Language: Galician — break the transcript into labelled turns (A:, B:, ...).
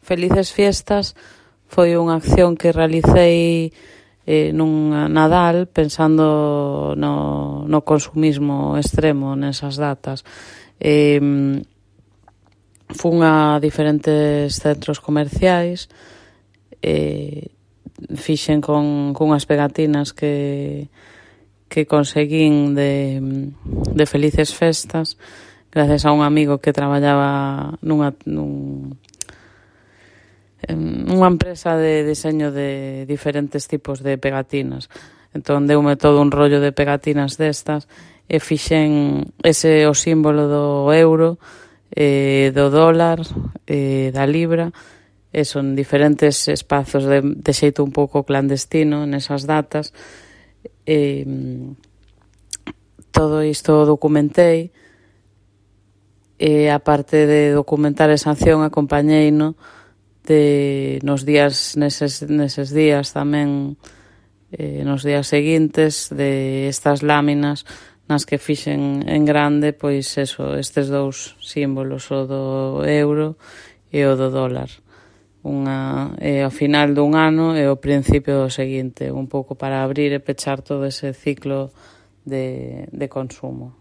A: Felices Fiestas foi unha acción que realicei nun Nadal pensando no consumismo extremo nesas datas. Fun a diferentes centros comerciais, fixen con unhas pegatinas que conseguín de Felices Festas gracias a un amigo que traballaba nunha empresa de diseño de diferentes tipos de pegatinas. Entón deume todo un rollo de pegatinas destas e fixen ese o símbolo do euro, do dólar, da libra, e son diferentes espazos de xeito un pouco clandestino nesas datas. Todo isto documentei e aparte de documentar esa acción acompañeino nos días neses días tamén nos días seguintes de estas láminas nas que fixen en grande pois eso, estes dous símbolos, o do euro e o do dólar, ao final dun ano e ao principio do seguinte, un pouco para abrir e pechar todo ese ciclo de consumo.